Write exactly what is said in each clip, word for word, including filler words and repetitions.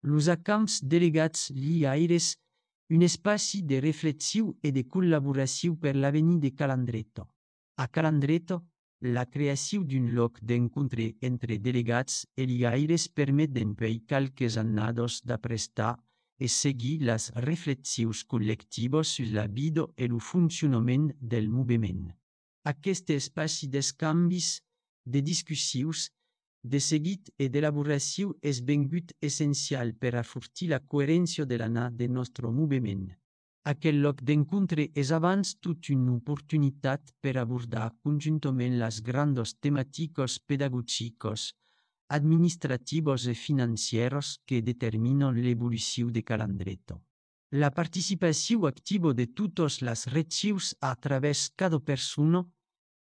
Los camps delegats liaires, un espaci de reflexió e de col·laboració per l'avenir de Calandreto. A Calandreto, la creació d'un lloc d'encontre entre delegats e liaires permet d'empèir qualques annados d'aprestar e seguir les reflexions col·lectives sur la vida e el funcionament del moviment. Aquest espaci d'escanvis, de discussions, de seguit e d'elaboració és vengut essencial per a fortir la coherència de l'anar de nostre moviment. Aquell lloc d'encontre és abans tot una oportunitat per abordar conjuntament les grandes temàtiques pedagògiques, administratives i financieres que determinen l'evolució de Calandreto. La participació activa de totes les regions a través cada persona,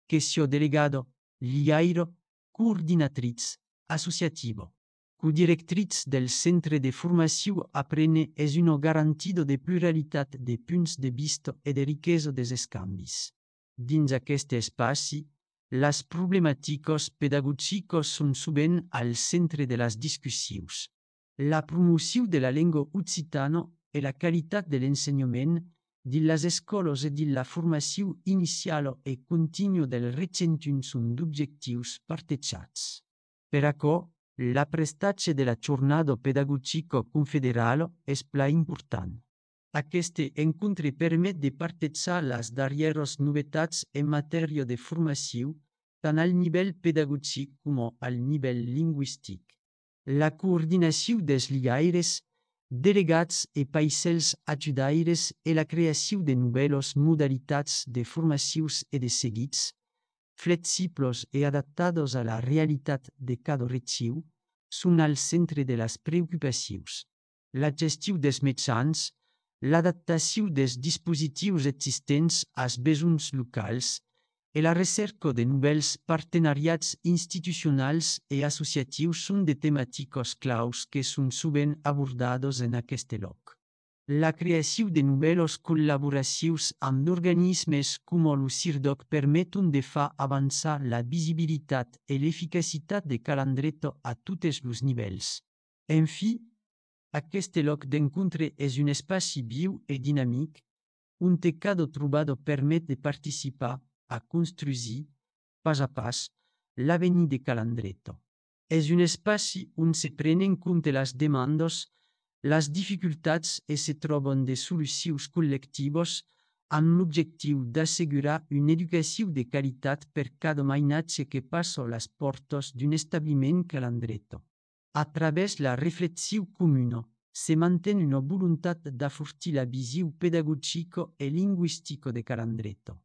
que sia delegado, liaire, coordinatriz, associativa, codirectriz del centre de formació aprene és una garantia de pluralitat de punts de vista e de riquesa dels escanvis. Dins aquest espaci, les problemàtiques pedagògiques són sovint al centre de les discussions. La promoció de la llengua occitana e la qualitat de l'ensenyament dins les escoles i dins la formació inicial i contínua del recentunt són d'objectius partejats. Per això, l'aprenentatge de la jornada pedagògica confederal és pla important. Aquest encontre permet de partejar les darreres novetats en matèria de formació, tant al nivell pedagògic com al nivell lingüístic. La coordinació dels liaires, delegats i paisels ajudaires i la creació de noves modalitats de formacions i de seguits, flexibles i adaptades a la realitat de cada regió, són al centre de les preocupacions. La gestió dels mitjans, l'adaptació dels dispositius existents als besoins locals i la recerca de nous partenariats institucionals i associatius són de temàtiques claus que són sovint abordades en aquest lloc. La creació de noves col·laboracions amb organismes com el CIRDOC permeten de fer avançar la visibilitat i l'eficacitat de Calandreto a tots els nivells. En fi, aquest lloc d'encontre és un espaci viu i dinàmic, on cada trobada permet de participar a construir, pas a pas, l'avenir de Calandreto. És un espaci on se prenen en compte les demandes, les dificultats i se troben de solucions col·lectives amb l'objectiu d'assegurar una educació de qualitat per cada mainatge que passa les portes d'un establiment Calandreto. A través la reflexió comuna, se manté una voluntat d'afortir la visió pedagògica i lingüística de Calandreto.